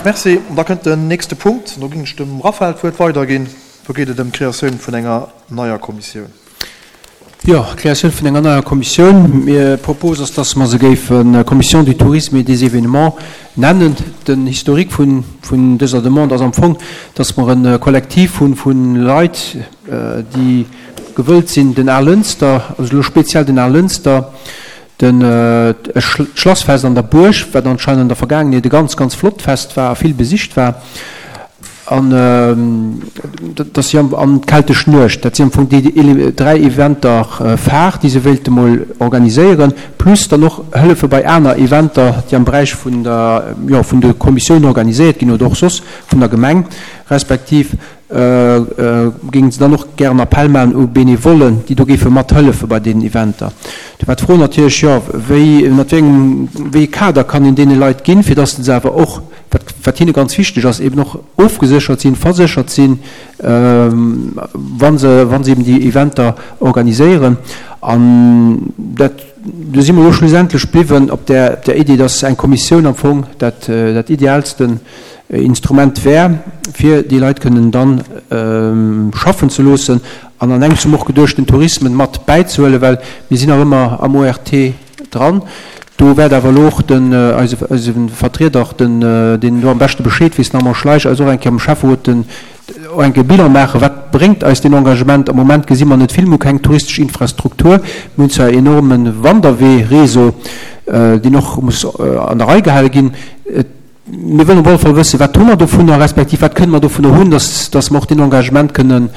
Merci. An da kënnt den nächste Punkt. Do ginn ech dem Raphaël d'Wuert weiderginn. Do geet et ëm d'Kreatioun vun enger neier Kommissioun. Jo, d'Kreatioun vun enger neier Kommissioun. Mir Propos ass, dass mer se géife Commission du tourisme et des événements nennen. Den Historique vun, vun dëser Demande ass am Fong, dass mer e Kollektiv hunn vu Leit, déi gewëllt sinn, den Alënster, also elo speziell den Alënster, Den d'Schlassfest an der Buerg, wat anscheinend an der Vergaangenheet e ganz, ganz flott Fest war a vill besicht war, an dass si am an d'Keltesch Nuecht, dat si am Fong déi 3 Eventer phare, déi se wéilte mol organiséieren, plus dann och hëllefe bei aner Eventer, déi am Beräich vun der, jo, vun de Kommissiounen organiséiert ginn oder och soss vun der Gemeng, respektiv Géingen se dann och gären Appell maachen u Benevollen, déi do géife mathëllefe bei deenen Eventer. Do war d'Fro natierlech, jo, wéi, ënnert wéi engem, wéi ee Kader kann een deene Leit ginn, fir datt se awer och, wat, wat hinne ganz wichteg ass, eben och ofgeséchert sinn, verséchert sinn, wa se, wa se eben déi Eventer organiséieren. An dat, do si mer elo schlussendlech bliwwen op där, op där Iddi, datt eng Kommissioun am Fong dat, dat ideaalsten Instrument wär, fir déi Leit kënnen dann schaffen ze loossen an an engems hu mer och geduecht, den Tourisme mat bäizehuelen, well mir sinn nach ëmmer am ORT dran. Do wäert awer elo och den, eise, eise Vertrieder, den, deen do am beschte Bescheed weess, den Armand Schleich, eis och eng Kéier am Schäfferot den, och eng Kéier Bilan maachen, Wat bréngt eis deen Engagement? Am Moment gesi mer net vill. Mir hu keng touristesch Infrastruktur. Mir hunn zwar en enorme Wanderwee-Réseau, deen och muss an der Rei gehale ginn. Et Mir wëllen op alle Fall wëssen, wat hu mer dovunner, respektiv wat kënnen mer dovunner hunn, dass, dass mer och deen Engagement kënnen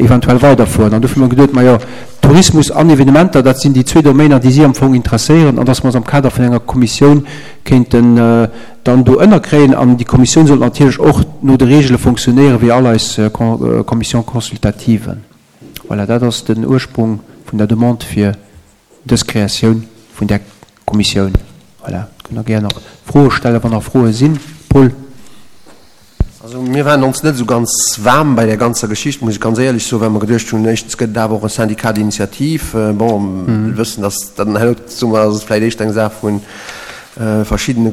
eventuell weiderfueren. An dofir hu mer geduet, majo, Tourismus an Evenementer, dat sinn déi zwee Domainer, déi si am Fong interesséieren, an dass mer se am Kader vun enger Kommissioun kéinten dann do ënnerkréien. An déi Kommissioun sollt natierlech och no de Regele fonctionnéieren, wéi all eis Commissions consultativen. Voilà, dat ass den Ursprung vun der Demande fir dës Kreatioun vun där Kommissioun. Voilà, kënnt Der gär nach Froe stellen, wann nach Froe sinn. Paul. Also mir waren ons net esou ganz waarm bei där ganzer Geschicht, muss ech ganz éierlech soen, well mer geduecht hunn, éischtens gëtt et awer och e Syndicat d'initiative. Bon, mir wëssen, dass dann herno, soe mer, ass et vläicht éischter eng Saach vu verschiddene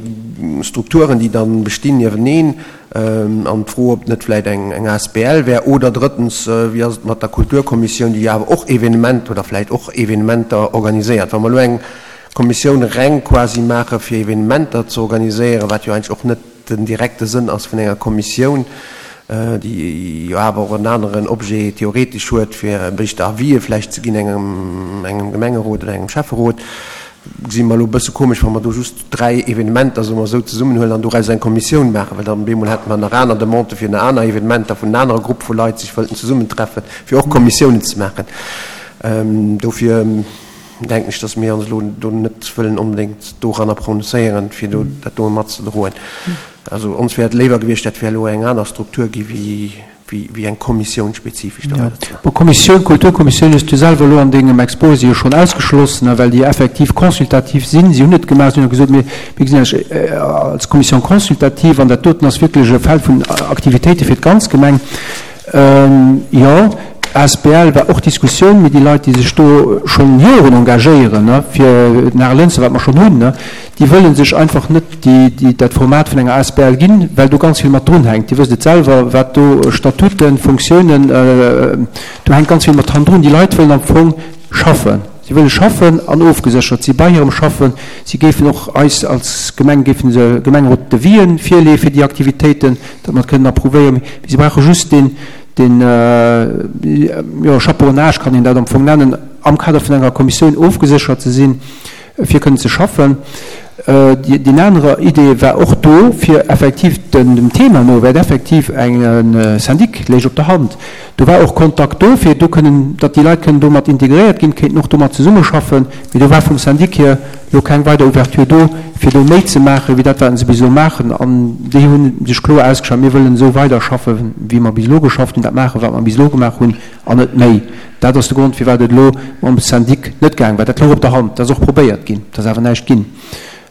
Strukturen, déi dann bestinn nieweneen. An d'Fro, ob net vläicht eng asbl wär. Oder drëttens, wéi ass et mat der Kulturkommissioun, déi jo awer och Evenement oder vläicht och Evenementer organiséiert. Wa mer elo eng Kommissioun reng quasi maache fir Evenementer ze organiséieren, wat jo eigentlech och net den direkte Sënn ass vun enger Kommissioun, déi jo awer och en aneren Objet theoretesch huet, fir éischter Avisë vläicht ze ginn engem engem Gemengerot oder engem Schäfferot, gesi mer elo e bësse komesch, wa mer do just 3 Evenementer, soe mer esou, zesummenhuelen an doraus eng Kommissioun maachen, well dann op eemol hätte mer nach aner Demandë fir nach aner Evenementer, vun en anere Grupp vu Leit sech wëllten zesummentreffen, fir och Kommissiounen ze maachen. Dofir denken ech, dass mir ons elo do net wëllen onbedéngt doranner prononcéieren, fir do dat do matzedroen. Also ons wär et léiwer gewiescht, dat wär elo eng aner Struktur gi wéi wéi eng Kommissioun spezifesch do weider ze maachen. Bon, Kommissioun, Kulturkommissioun hues du selwer elo an dengem Exposé jo schonn ausgeschloss, ne, well déi effektiv consultativ sinn. Si hunn et gemaach, si hunn jo gesot, mir, mir gesinn eis als Commission consultative an dat doten ass wierklech e Feld vun Aktivitéite fir d'ganz Gemeng. Jo, asbl war och Diskussioun, mee déi Leit, déi sech do schonn Joren engagéieren, ne, fir den Arelënster, wat mer schonn hunn, ne, déi wëlle sech einfach net déi, dat Format vun enger asbl ginn, well do ganz vill mat drun hänkt. Dir wësst et selwer, wat do Statuten, Funktiounen, do hänkt ganz vill mat hannendrun. Déi Leit wëllen am Fong schaffen. Si wëlle schaffen an ofgeséchert si bei hirem Schaffen. Si géifen och eis als Gemeng, géifen se Gemengerot Devisë virleeë fir déi Aktivitéiten, datt mer et kënnen approuvéieren. Mee si brauche just deen, deen, jo, Chaperonnage kann een dat am Fong nennen, am Kader vun enger Kommissioun ofgeséchert ze sinn, fir kënnen ze schaffen. Déi aner Idee war och do, fir effektiv dem Thema no, wäert effektiv eng Syndic léich op der Hand. Do war och Kontakt do, fir do kënnen, datt déi Leit kënnen do mat integréiert ginn, kéinten och do mat zesummeschaffen. Mee do war vum Syndic hier elo keng weider Ouverture do, fir do méi ze maachen, wéi dat, wat se bis elo maachen. An déi hu sech kloer ausgeschwat, Mir wëllen esou weiderschaffen, wéi mer bis elo geschafft hunn, dat maachen, wat mer bis elo gemaach hunn, an net méi. Dat ass de Grond, firwat et elo mam Syndic net gaang war. Dat louch op der Hand, dat ass och probéiert ginn, et ass awer näischt ginn.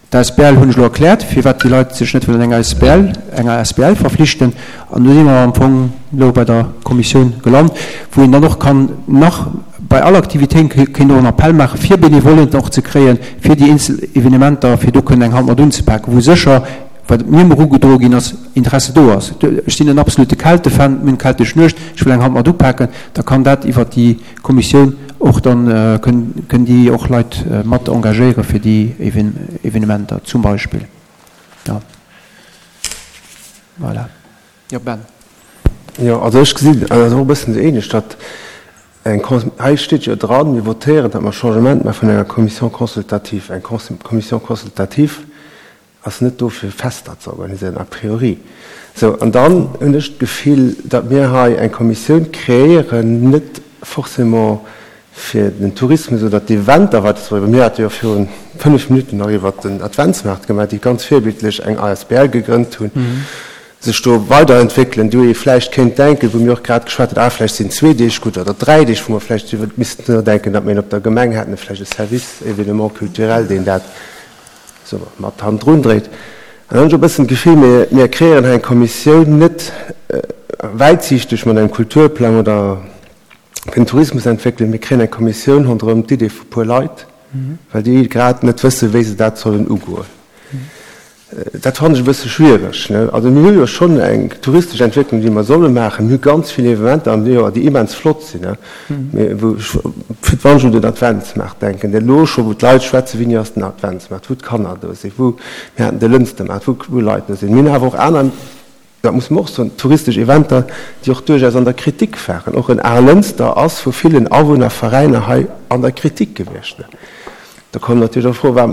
D'asbl hunn ech elo erkläert, firwat déi Leit sech net wëllen enger asbl, enger asbl verflichten. An do si mer am Fong elo bei der Kommissioun gelant, wou een dann och kann nach bei all Aktivitéit kéint och en Appell maachen, fir Benevollen och ze kréien, fir déi eenzel Evenementer, fir do kënnen eng Hand mat unzepaken, wou sécher. Wat mir emol ugedroe ginn ass, Interesse do ass. Ech sinn en absolute Keltefan, mir hunn d'keltesch Nuecht, ech wëll eng Hand mat upaken, da kann dat iwwert déi Kommissioun och dann, kënnen déi och Leit mat engagéiere fir déi Evenementer zum Beispill. Jo, voilà. Jo, Ben. Jo, also ech gesinn dat och e bëssen esou ähnlech, datt eng, hei steet jo dran, mir votéieren, datt mer Changement maache vun enger Commission consultative. Eng Commission consultative ass net do fir Fester ze organiséieren a priori. Sou, an dann hunn ech d'Gefill, datt mir hei eng Kommissioun kreéieren, net forcément fir den Tourismus oder d'Eventer weiderzebréngen. Mir hate jo virun 5 Minutten nach iwwert den Adventsmaart gemaach, déi ganz virbildlech eng asbl gegrënnt hunn, sech do weiderentwéckelen, wou ee vläicht kéint denken, wou mir och grad geschwat hunn, ah vläicht sinn zwee Deeg gutt oder dräi Deeg, wou mer vläicht iwwer missten nodenken, datt mir een op der Gemeng hätten, vläicht e Service événements culturels, deen dat soe mer, mat hannendrun dréit. An dann hunn ech e bëssen d'Gefill, mir, mir kreéieren hei eng Kommissioun net wäitsiichteg mat engem Kulturplang oder fir den Tourismus entwéckelen, mir kréien eng Kommissioun ronderëm d'Idee vu puer Leit, well déi grad net wëssen, wéi se dat sollen ugoen. Dat fannen ech e bësse schwiereg. Also mir hu jo schonn eng touristesch Entwécklung, déi mer solle maachen. Mir hu ganz vill Evenementer am Joer, déi immens flott sinn. Mee wou ech fir d'mannst un den Adventsmaart denken, deen elo scho, wou d'Leit schwätzen, wéini ass den Adventsmaart, wou d'Kanner do sinn, wou, mir haten de Lënstermaart, wou wou Leit do sinn. Mir hunn awer och aner, dat muss mer och soen, touristesch Eventer, déi och duerchaus an der Kritik waren. Och en Aarlënster ass vu villen Awunnerveräiner hei an der Kritik gewiescht. Da kommt natierlech och d'Fro, Wa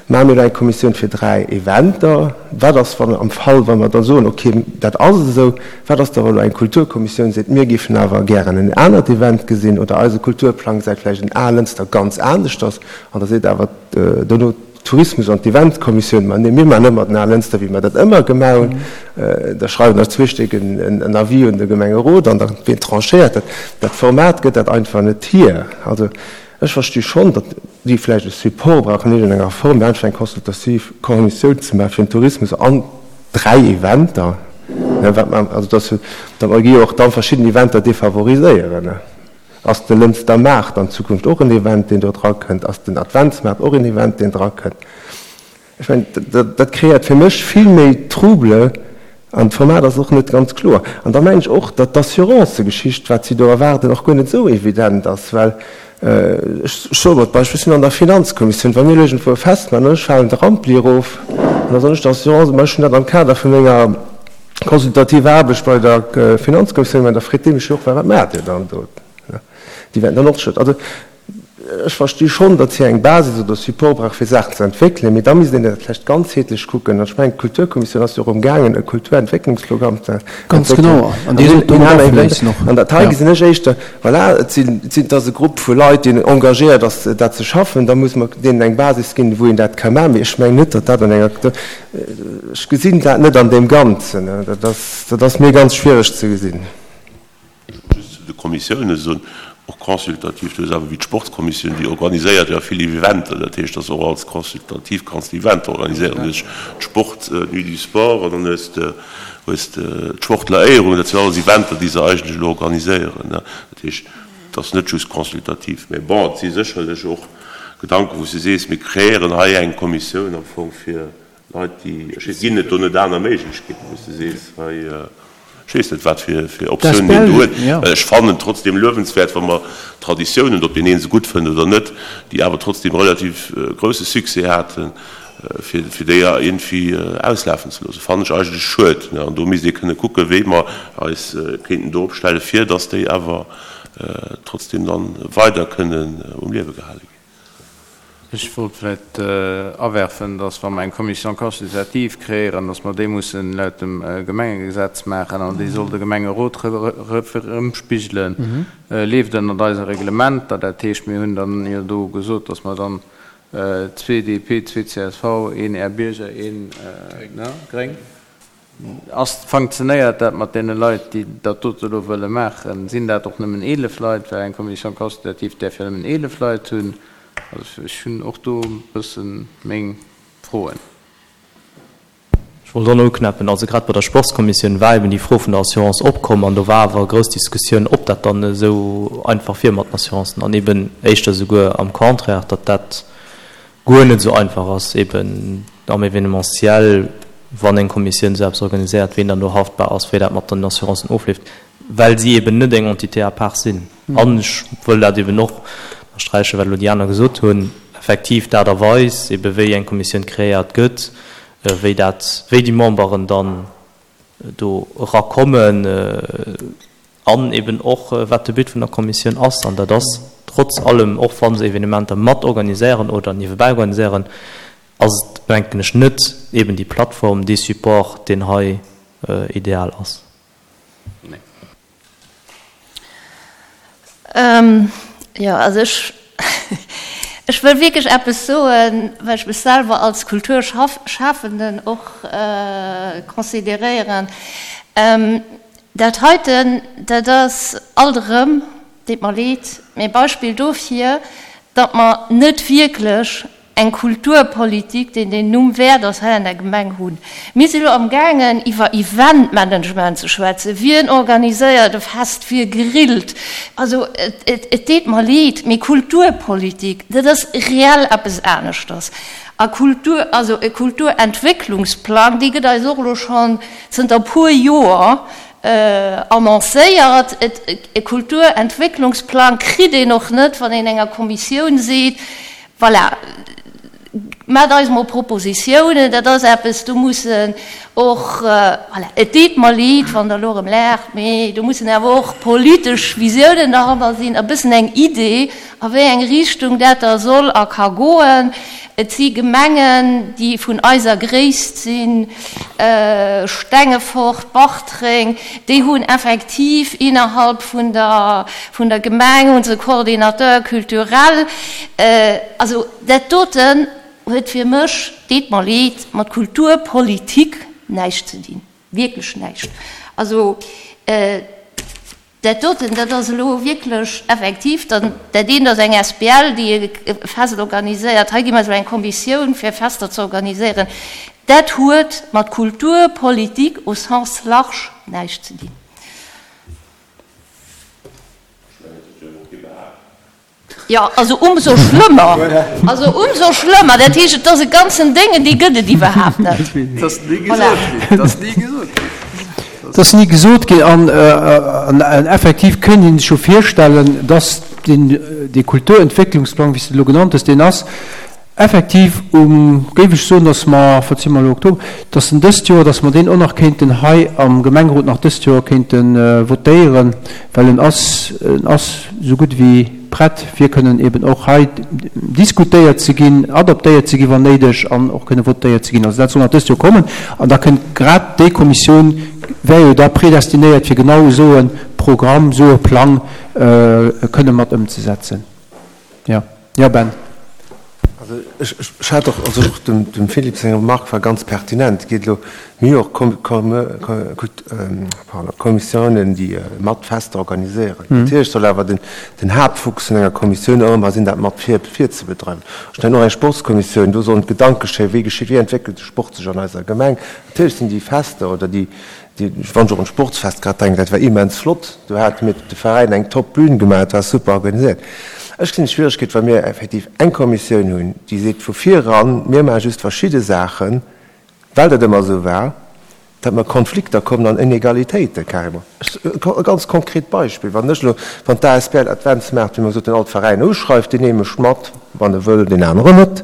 maache mir elo eng Kommissioun fir 3 Eventer? Wat ass, wann am Fall, wa mer da soen, okay, dat ass esou, wat ass da, wa elo eng Kulturkommissioun seet, mir géifen awer gären en anert Event gesinn oder eise Kulturplang gesäit vläicht en Aarlënster ganz aneschters an da seet awer dono d'Tourismus an d'Eventkommissioun, ma nee, mir maachen ëmmer den Aarlënster, wéi mer dat ëmmer gemaach hunn. Da schreiwen der zwee Stéck en Avis un de Gemengerot an da wien tranchéiert dat. Dat Format gëtt dat einfach net hier. Also Ech versti schonn, datt déi vläicht e Support brauchen an iergendenger Form, mee einfach eng consultativ Kommissioun ze maache fir den Tourismus an 3 Eventer, wat mer, also datt jo, datt mer gi jo och da verschidden Eventer defavoriséieren. Ass de Lënster Maart an Zukunft och en Event, deen do drakënnt? Ass den Adventsmaart och en Event, deen drakënnt? Ech mengen, dat kreéiert fir mech vill méi Trouble an d'Format ass och net ganz kloer. An da mengen ech och, datt d'Assurancëgeschicht, wat si do erwaarden, och guer net esou evident ass, well ech soe mol d'Beispill, ech sinn an der Finanzkommissioun, wa mir elo iergendwou e Fest maachen an ech falen de Rampli erof an da soen ech der Assurance, ma ech hunn dat am Kader vu menger consultativer Aarbecht bei der Finanzkommissioun gemaach, da freet déi mech jo och, wat maacht Dir dann do? Déi wäerten dann och schëlleg. Also Ech versti schonn, datt hie eng Basis oder Support brauch, fir Saachen ze entwéckelen, mee da misst een dat vläicht ganzheetlech kucken. An ech mengen, d'Kulturkommissioun ass jo och amgaangen, e Kulturentwécklungsprogramm ze Ganz genau, an dee sollt domat afléissen och. An dat hei gesinn ech éischter, voilà, et sinn, et sinn, et ass e Grupp vu Leit, deen engagéiert ass, dat ze schaffen. Da muss mer deenen eng Basis ginn, wou een dat ka maachen. Mee ech mengen net, datt dat an enger, ech gesinn dat net an deem Ganzen. Dat ass, dat ass mir ganz schwiereg ze gesinn. Just zu de Kommissiounen soen, och consultativ, du hues awer wéi d'Sportskommissioun, déi organiséiert jo vill Eventer, dat heescht, dass och als consultativ kanns de Eventer organiséieren. Du hues d'Sport, d'Nuit du Sport an dann hues de hues de d'Sportleréierung, dat sinn alles Eventer, déi se eigentlech elo organiséieren. Dat heescht, et ass net just consultativ. Mä bon, et si sécherlech och Gedanken, wou s de sees, mir kreéieren hei eng Kommissioun am Fong fir Leit, déi, ech weess, ginn et do net aner Méiglechkeeten, wou s de sees, hei, ech weess net, wat fir Optiounen een do huet. Well ech fannen et trotzdem luewenswäert, wa mer Traditiounen, ob deen ee se gutt fënnt oder net, déi awer trotzdem relativ grousse Succès haten, fir déi iergendwéi auslafen ze loossen, fannen ech eigentlech schued. An do misst ee kënne kucken, wéi mer eis kéinten do opstellen, fir datt déi awer trotzdem dann weider kënnen um Liewe gehale ginn. Ech wollt vläicht awerfen, dass, wa mer eng Commission consultative kreéieren, dass mer déi mussen laut dem Gemengegesetz maachen an déi soll de Gemengerot erëmspigelen. Leeft ënnert eise Reglementer. Dat heescht, mir hunn dann jo do gesot, dass mer dann zwee DP, zwee csv, een Är Bierger, een Gréng. Ass, funktionéiert dat mat deene Leit, déi dat dote elo wëlle maachen? Sinn dat och nëmmen 11 Leit? Well eng Commission consultative däerf jo nëmmen 11 Leit hunn. Also ech hunn och do e bësse meng Froen. Ech wollt och nach uknäppen, also grad bei der Sportskommissioun war eben déi Fro vun der Assurance opkomm an do war awer grouss Diskussioun, ob dat dann esou einfach wier mat den Assurancen an eben éischter souguer am Contraire, datt dat guer net esou einfach ass, eben am Événementiel. wann eng Kommissioun esou eppes organiséiert, ween dann do haftbar ass, wéi dat mat den Assurancen ofleeft, well si eben net eng Entité à part sinn. An ech wëll dat eben och ënnersträichen, wat elo déi aner gesot hunn, effektiv d'Aart a Weis, ebe wéi eng Kommissioun kreéiert gëtt, wéi dat, wéi déi Memberen dann do erakommen an eben och wat de But vun der Kommissioun ass. An dat ass trotz allem, och wa se Evenementer mat organiséieren oder niewebäi organiséieren, ass et, denken ech, net eben déi Plattform, dee Support, deen hei ideal ass. Nee. Jo, also ech, ech wëll wierklech eppes soen, well ech mech selwer als Kulturschafenden och consideréieren. Dat heiten, dat ass alt erëm, deet mer leed, mee e Beispill dofir, datt mer net wierklech eng Kulturpolitik, déi deen Numm wäert ass, hei an der Gemeng hunn. Mir si lo amgaangen, iwwer Eventmanagement ze schwätzen. Wien organiséiert e Fest, wie grillt? Also, et deet mer leed, mee Kulturpolitik, dat ass reell eppes aneschters. A Kultur, also e Kulturentwécklungsplang, dee gëtt eis och elo schonn zënter e puer Joer annoncéiert. E Kulturentwécklungsplang kritt een och net, wann een enger Kommissioun seet, Voilà, maacht eis mol Propositiounen, dat ass eppes, do mussen och, voilà, et deet mer leed, wann Der elo erëm laacht, mee do mussen awer och politesch Visiounen derhanner sinn, e bëssen eng Idee, a wéi eng Richtung dat da soll a ka goen. Et si Gemengen, déi vun eiser Gréisst sinn, Stengefort, Bartreng, déi hunn effektiv innerhalb vun der, vun der Gemeng hu se Coordinateur culturel. Also dat doten huet fir mech, deet mer leed, mat Kulturpolitik näischt ze dinn, wierklech näischt. Also dat doten, dat ass elo wierklech effektiv, dann dat eent ass eng asbl, déi e Fest organiséiert, hei gi mer esou eng Kommissioun fir Fester ze organiséieren. Dat huet mat Kulturpolitik au sens large näischt ze dinn. Jo, also umso schlëmmer. Also umso schlëmmer. Dat heescht, et ass e ganzen Déngen, dee gëtt et iwwerhaapt net. Et ass ni gesot ginn. Et ass ni gesot ginn. Et ass ni gesot ginn. An effektiv kéint ee sech jo virstellen, dass deen, dee Kulturentwécklungsplang, wéi s de et elo genannt hues, deen ass Effektiv um, géif ech soen, dass mer, wat si mer elo, Oktober, dass en dëst Joer, dass mer deen och nach kéinten hei am Gemengerot nach dëst Joer kéinte votéieren, well en ass, en ass esou gutt ewéi prett, fir kënnen eben och hei diskutéiert ze ginn, adoptéiert ze ginn, wann néideg, an och kënne votéiert ze ginn. Also dat soll nach dëst Joer kommen. An da kënnt grad déi Kommissioun, wär jo da predestinéiert, fir genau esou e Programm, esou e Plang kënne mat ëmzesetzen. Jo. Jo, Ben. Also ech, ech hat och, also och dem, dem Philippe seng Remarque war ganz pertinent. Et geet elo, mir hu och Kom, Kom, Kult, pardon, Kommissiounen, déi mat Fester organiséieren. Natierlech soll awer den, den Haaptfokus vun enger Kommissioun och ëmmer sinn, dat mat vir, virzebedreiwen. Ech mengen och eng Sportskommissioun, do sollen d'Gedanke geschéien, wéi geschitt, wéi entwéckelt de Sport sech an eiser Gemeng. Natierlech sinn déi Fester oder déi, Wann ech och un d'Sportsfest grad denken, dat war immens flott. Do hate mir de Veräin eng top Bühn gemaach, et war super organiséiert. Ech gesinn d'Schwieregkeet, wa mir effektiv eng Kommissioun hunn, déi seet vu vir eran, mir maache just verschidde Saachen, well dat ëmmer esou war, datt mer Konflikter kommen an Inegalitéite carrément. E ganz konkret Beispill, Wann ech elo, wann d'ASBL Adventsmaart, wéi mer gesot hunn, all d'Veräiner uschreift, deen ee mécht mat, wann e wëll, deen aneren net.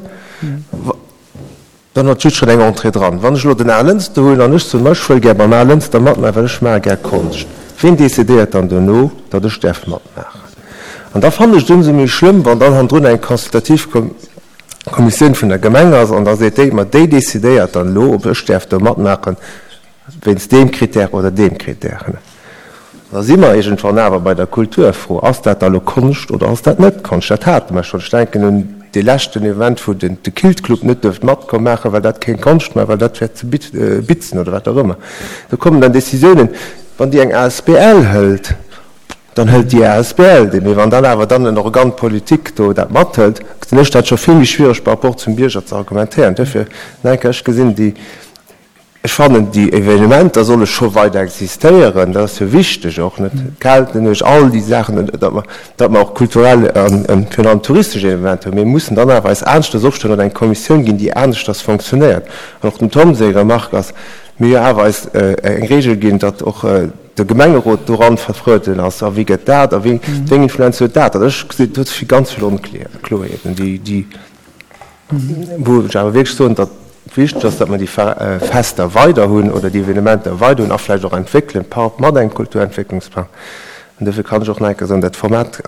Dann huet just schonn eng Entrée dran. Wann ech elo den Al Lënster huelen an ech soen, ma ech wëll gär beim Al Lënster matmaachen, well ech maache gär Konscht, ween decidéiert dann dono, datt ech däerf matmaachen? An da fannen ech et ëmsou méi schlëmm, wann dann hannendrun eng consultativ Kommissioun vun der Gemeng ass an da seet déi, ma déi decidéiert dann elo, ob ech däerf do matmaachen wéinst deem Critère oder deem Critère. Da si mer iergendwann awer bei der Kulturfro, Ass dat da lo Konscht oder ass dat net Konscht? Dat hate mer schonn. Ech denken un dee leschten Event, wou den de Kilt Club net duerft matkomm maachen, well dat keng Konscht war, well dat wär ze bitzen oder wat och ëmmer. Do kommen dann Décisiounen, wann déi eng asbl hëlt, dann hëlt déi asbl déi. Mee wann dann awer dann en Organe politique do dat mathëlt, gesinn ech dat scho vill méi schwiereg par rapport zum Bierger ze argumentéieren. Duerfir, nach eng Kéier, ech gesinn déi. Ech fannen, déi Evenementer solle scho weider existéieren, dat ass jo wichteg och, net d'Keltennuecht, all déi Saachen, datt mer, datt mer och kulturell a virun allem touristesch Evenementer hunn. Mir mussen dann awer eis aneschters opstellen oder eng Kommissioun ginn, déi aneschters fonctionnéiert. An och dem Tom seng Remarque ass, mir jo awer eis eng Regel ginn, datt och de Gemengerot doran vertrueden ass. A wéi gëtt dat a wéi eng Influenz huet dat? An ech gesinn, do si ganz vill Onkloerheeten, déi, déi, Wou ech awer wierklech soen, datt et wichteg ass, datt mer déi Fester weider hunn oder déi Evenementer weider hunn a vläicht och entwéckelen par mat engem Kulturentwécklungsplang. An dofir kann ech och nach eng Kéier soen, dat Format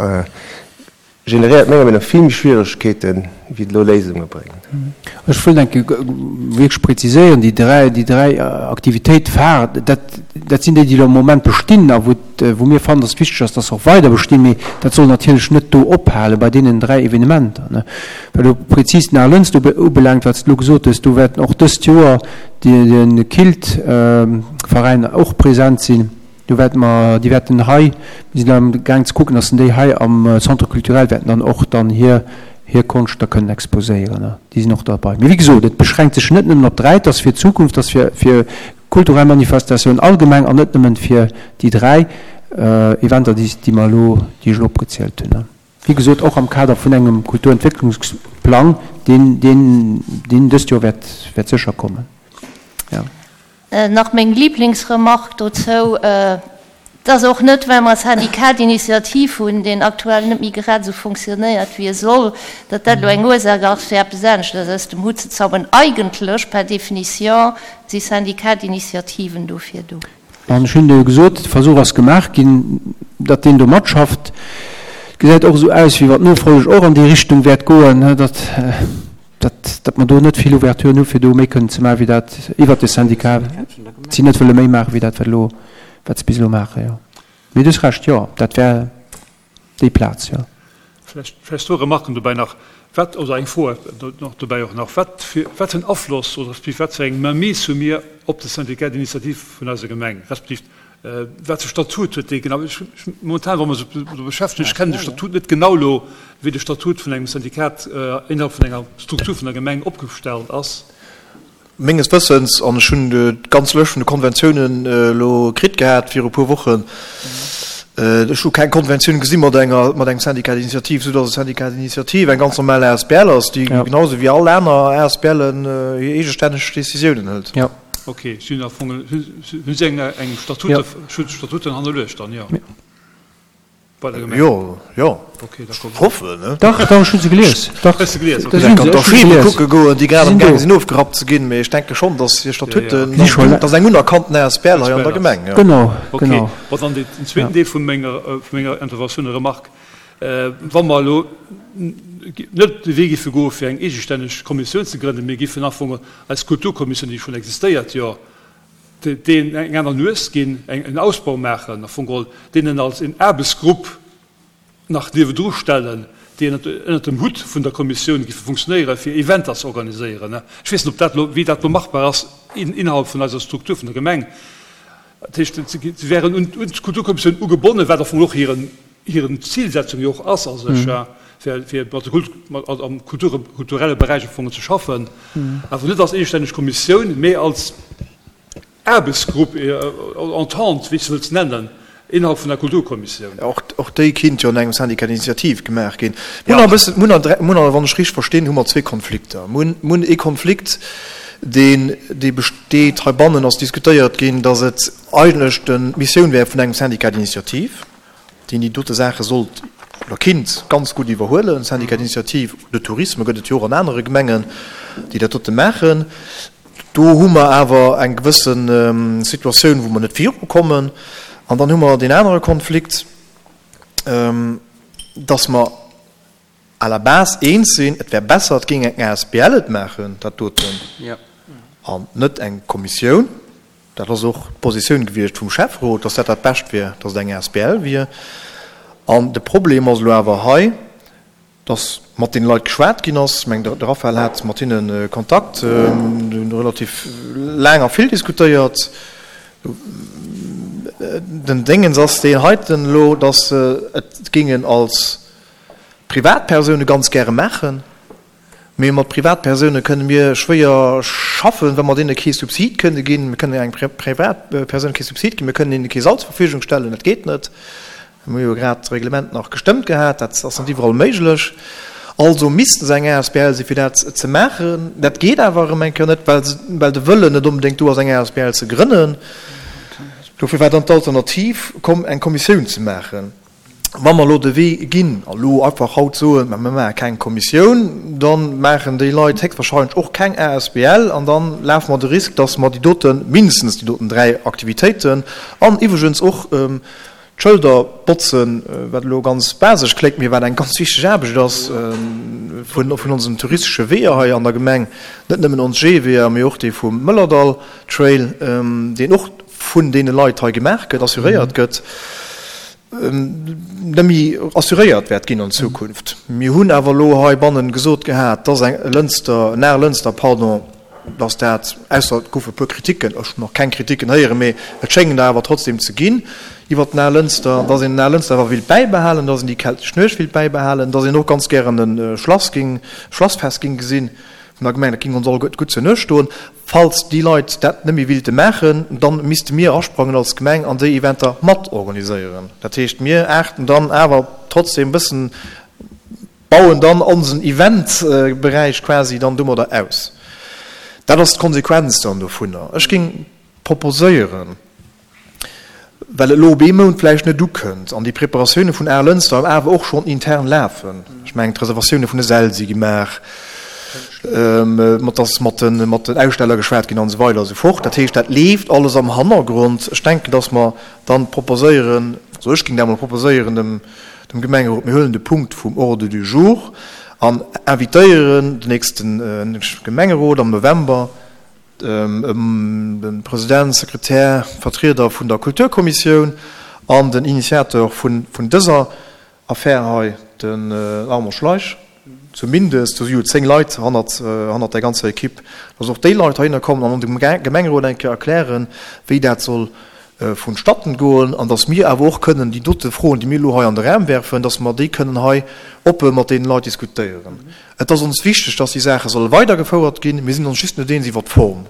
generéiert menger Meenung no vill méi Schwieregkeeten, wéi et elo Léisunge bréngt. Ech wëllt eng Kéier wierklech präziséieren, déi dräi, déi dräi Aktivitéite phare, dat, dat sinn déi, déi elo am Moment bestinn a wou et, wou mir fannen, datt et wichteg ass, datt se och weider bestinn. Mee dat soll natierlech net do ophale bei deenen dräi Evenementer. Wat elo prezis den Al Lënst ubelaangt, wat s de elo gesot hues, do wäerten och dëst Joer de Kilt-Veräin och present sinn. Do wäerte mer, déi wäerten hei, mir sinn am gaang ze kucken, dass déi hei am Centre culturel wäerten dann och dann hir hir Konscht da kënnen exposéieren. Déi sinn och derbei. Mee wéi gesot, et beschränkt sech net nëmmen op d'Dräi, et ass fir d'Zukunft, et ass fir fir kulturell Manifestatiounen allgemeng an net nëmmen fir déi dräi Eventer, déi déi mer elo, déi ech elo opgezielt hunn. Wéi gesot, och am Kader vun engem Kulturentwécklungsplang, deen, deen, deen dëst Joer wäert, wäert sécher kommen. Jo. Nach meng Lieblingsremark dozou, Et ass och net, well mer e Syndicat d'initiative hunn, deen aktuell net méi grad esou fonctionnéiert, wéi e soll, datt dat elo eng Ursaach ass, fir eppes aneschters aus dem Hutt ze zauberen. Eigentlech, per définition, si Syndicats d'initiativen dofir do. An ech hunn jo gesot, de Versuch ass gemaach ginn, datt deen do matschafft. Et gesäit och esou aus, wéi wa d'Nofolleg och an déi Richtung wäert goen, datt, datt mer do net vill Ouverturen hu fir do méi kënnen ze maachen, wéi dat iwwert de Syndicat, si net wëlle méi maachen, wéi dat, wat elo, wat se bis elo maachen, jo. Mee du hues Recht, jo, dat wär. Déi Plaz, jo. Vlächcht, vlächcht zwou Remarken dobäi nach. Wat, oder eng Fro nach dobäi och nach, Wat fir, wat fir en Afloss oder respektiv wat fir eng Mainmise hu mir op de Syndicat d'initiative vun eiser Gemeng, respektiv wat fir Statut huet dee genau? Ech, ech, momentan, wa mer eis do beschäftegen, ech kennen de Statut net genau elo, wéi de Statut vun engem Syndikat innerhalb vun enger Struktur vun der Gemeng opgestallt ass. Menges Wëssens, an ech hunn d'ganz Lëscht vun de Konventiounen elo kritt gehat viru e puer Wochen, ech hu keng Konventioun gesi mat enger, mat engem Syndicat d'initiative, soudass e Syndicat d'initiative eng ganz normal asbl ass, déi genau esou wéi all aner ASBLen hir eegestänneg Décisiounen hëlt. Ok, si hunn am Fong, hunn si eng Statute, Statuten hannerluecht dann, jo? Bei der Gemeng? Jo, jo. Okay, d'accord. Hoffen, ne? Dach, dach, ech hu se gelies. Dach. Hues de gelies, okay. Ech kann d'Archive kucke goen, déi grad am gaang sinn ofgerappt ze ginn, mee ech denke schonn, datt hir Statuten, datt eng unerkannten asbl hei an der Gemeng, jo. Genau, genau. Okay, bon, dann den zweeten Deel vu menger, vu menger Interventioun, Remarque, Wa mer elo net de Wee géife goe fir eng eegestänneg Kommissioun ze grënnen, mee géifen am Fong eis Kulturkommissioun, déi schonn existéiert, jo, deen eng aner Nues ginn, en Ausbau maachen, am Fong geholl, deenen als een Aarbechtsgrupp nach niewendru stellen, déi ënnert dem Hutt vun der Kommissioun géife funktionéieren, fir Eventer ze organiséieren. Ech weess net, ob dat elo, wéi dat elo machbar ass innerhalb vun eiser Struktur vun der Gemeng. Dat heescht, se wären un d'Kulturkommissioun ugebonnen, wat am Fong och hiren, hiren Zilsetzung jo och ass a sech, fir, fir mat de Kult, mat, am Kultur, kulturelle Beräich am Fong ze schaffen, awer net als eegestänneg Kommissioun, mee als Aarbechtsgrupp, Entente, wéi s de wëlls nennen, innerhalb vun der Kulturkommissioun. Och, och déi kinnt jo an engem Syndicat d'initiative gemaach ginn. Mir hunn e bëssen, mir hunn, mir hunn, wann ech richteg verstinn, hu mer zwee Konflikter. Mir hunn, mir hunn ee Konflikt, deen, dee besteet, heibannen ass diskutéiert ginn, datt et eigentlech d'Missioun wär vun engem Syndicat d'initiative, deen déi dote Saache sollt oder kinnt ganz gutt iwwerhuelen. Syndicat d'initiative de tourisme gëtt et jo och an anere Gemengen, déi dat dote maachen. Do hu mer awer eng gewësse Situatioun, wou mer net virukommen. An dann hu mer deen anere Konflikt, dass mer à la base eens sinn, et wär besser, et géing eng asbl et maachen, dat doten, an net eng Kommissioun. Dat ass och d'Positioun gewiescht vum Schäfferot, dass dat dat Bescht wier, dass et eng asbl wier. An de Problem ass elo awer hei, dass mat deene Leit geschwat ginn ass. Ech mengen, de Raphaël hat mat hinne Kontakt, mir hunn relativ laang a vill diskutéiert. Den Déngens ass deen heiten elo, dass se et géingen als Privatpersoune ganz gäre maachen. Mee mat Privatpersoune kënne mir schwéier schaffen, wa mer deene kee Subsid kënne ginn. Mir kënnen engem Privatpersoun kee Subsid ginn, mir kënnen hinne kee Sall zur Verfügung stellen, dat geet net. Mir hu jo grad d'Reglement nach gestëmmt gehat, dat ass net iwwerall méiglech. Also misste se eng asbl sinn, fir dat ze maachen. Dat geet awer erëm eng Kéier net, well se, well de Wëllen net onbedéngt do ass, eng asbl ze grënnen. Dofir war dann d'Alternativ komm, eng Kommissioun ze maachen. Wa mer elo de Wee ginn a lo einfach haut soen, mä mir maache keng Kommissioun, da maachen déi Leit héchstwahrscheinlech och keng asbl an da lafe mer de Risk, dass mer déi doten, mindestens déi doten 3 Aktivitéiten an iwwregens och d'Schëlder botzen, wat elo ganz basesch kléngt, mee wat eng ganz wichteg Aarbecht ass vun onsen touristesche Weeër hei an der Gemeng, net nëmmen ons Jeeweeër, mee och dee vum Mëllerdall Trail, deen och vun deene Leit hei gemaach gëtt, assuréiert gëtt, net méi assuréiert wäert ginn an Zukunft. Mir hunn awer elo heibannen gesot gehat, dass eng Lënster, en Lënster, pardon, dass dat, ausser et goufe e puer Kritiken, ech hunn nach keng Kritiken héieren, mee et schéngen der awer trotzdem ze ginn iwwert den Lënster, dass een den Lënster awer wéilt bäibehalen, dass een déi keltesch Nuecht wéilt bäibehalen, dass een och ganz gären e Schlass géing, Schlassfest géing gesinn vun der Gemeng, dat géing ons all gutt zur Nuecht stoen. Falls déi Leit dat net méi willte maachen, dann misste mir asprangen als Gemeng an déi Eventer mat organiséieren. Dat heescht, mir aarten dann awer trotzdem e bëssen, bauen dann onsen Eventberäich quasi dann domadder aus. Dat ass d'Konsequenz dann dovunner. Ech géing proposéieren, well et elo op ee Mount vläicht net ukënnt an déi Preparatioune vun Aarlënster awer och schonn intern lafen, ech mengen d'Reservatioune vun de Säll si gemaach, mat ass mat de mat den Aussteller geschwat ginn an esou weider a sou fort. Dat heescht, dat leeft alles am Hannergrond. Ech denken, datt mer dann proposéieren, also ech géing dat emol proposéieren dem dem Gemengerot, mir huelen de Punkt vum Ordre du jour an invitéieren den nächste Gemengerot am November, de President, Sekretär, Vertrieder vun der Kulturkommissioun an den Initiateur vun dëser Affär hei, den Armand Schleich, zumindest, do si jo 10 Leit hannert där ganzer Equipe, dass och déi Leit heihinner kommen an dem Gemengerot eng Kéier erklären, wéi dat soll vonstatten goen an dass mir awer och kënnen déi dote Froen, déi mir elo hei an de Raum werfen, dass mer déi kënnen hei oppe mat deenen Leit diskutéieren. Et ass ons wichteg, dass déi Saache solle weidergefouert ginn. Mir sinn ons just net eens iwwert d'Form.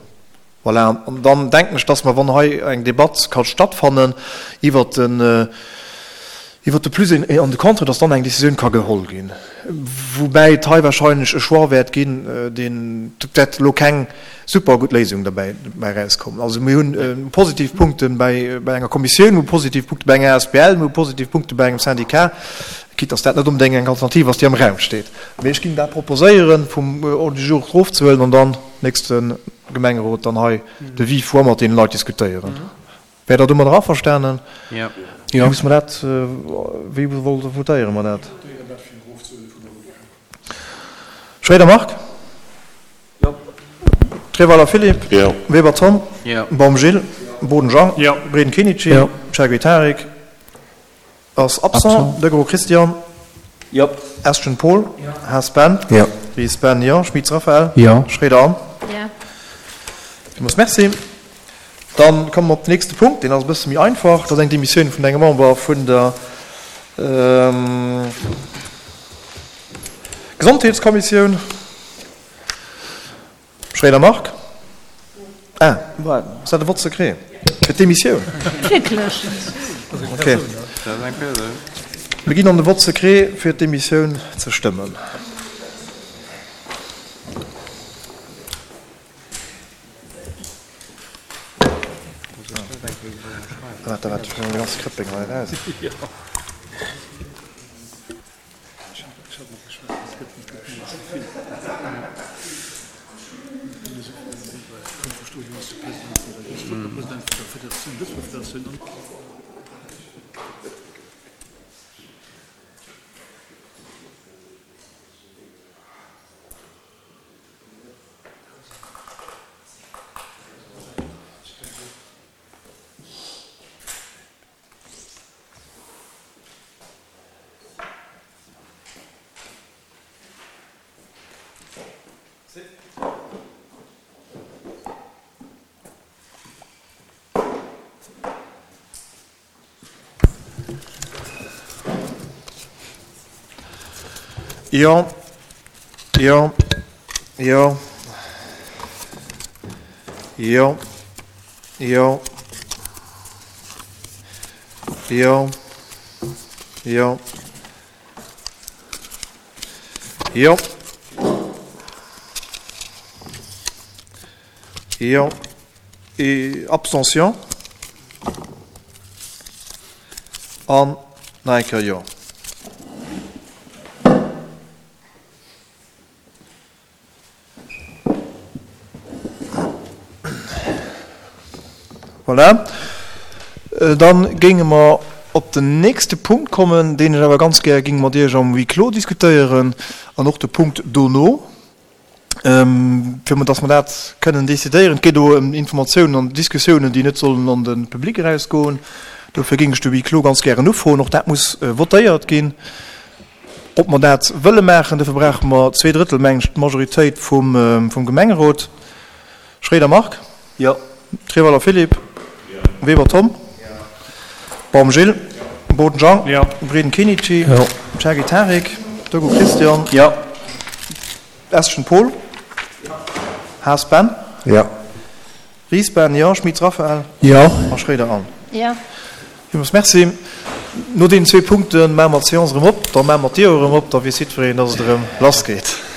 Voilà. An dann denken ech, dass mer, wann hei eng Debatt ka stattfannen iwwert den, iwwert de Plus an de Contre, dass dann eng Décisioun ka geholl ginn. Woubäi et hei wahrscheinlech e Choix wäert ginn, deen, et wäert elo keng super gutt Léisung derbäi erauskommen. Also mir hunn positiv Punkte bei, bei enger Kommissioun, mir hu positiv Punkte bei enger asbl, mir hu positiv Punkte bei engem Syndicat, quitte dass dat net onbedéngt eng Alternativ ass, déi am Raum steet. Mee ech géing dat proposéieren, vum Ordre du jour erofzehuelen an dann nächste Gemengerot dann hei de vive voix mat deene Leit diskutéieren. Wäert Der domadder averstanen? Jo. Wéi musse mer dat, wéi votéiere mer dat? Schroeder Marc? Jo. Treweiler Philippe? Jo. Weber Tom? Jo. Baum Gilles? Boden Jean? Jo. Breden Kenichi? Jo. Chergui Tarik ass absent. Degraux Christian? Jo. Estgen Paul? Jo. Haas Ben? Jo. Ries Ben, jo. Schmitz Raphaël? Jo. Schroeder Anne? Jo. Villmools Merci. Dann komme mer op den nächste Punkt, deen ass e bësse méi einfach. Dat ass eng Demissioun vun engem Member vun der Gesondheetskommissioun. Schroeder Marc? Ah, ass dat e Vote secret fir d'Demissioun? Wierklech? Okay. Mir ginn an de Vote secret fir d'Demissioun ze stëmmen. Jo, jo. Jo. Jo. Jo. Jo. Jo. Jo. Jo. Abstention. An nach eng Kéier Jo. Voilà. Dann géinge mer op den nächste Punkt kommen, deen ech awer ganz gär géing mat Iech am Huis clos diskutéieren an och de Punkt dono, fir dass mer dat kënnen decidéieren. Et geet do ëm Informatiounen an Diskussiounen, déi net sollen an de Public erausgoen. Dofir géing ech de Huis clos ganz gären ufroen. Och dat muss votéiert ginn. Ob mer dat wëlle maachen, dofir brauche mer zweedrëttel, mengen ech, d'Majoritéit vum Gemengerot. Schroeder Marc? Jo. Treweiler Philippe? Jo. Weber Tom? Jo. Baum Gilles? Jo. Boden Jean? Jo. Breden Kenichi? Jo. Cherki Tarik? Dogu Christian? Jo. Eschen Paul? Jo. Haas Ben? Jo. Ries Ben, jo. Schmitz Raphaël? Jo. A Schroeder Anne? Jo. Villmools Merci. No deenen zwee Punkte maache mer d'Seance erëm op. Da maache mer d'Dier och erëm op, da weess jiddwereen, dass et erëm lassgeet.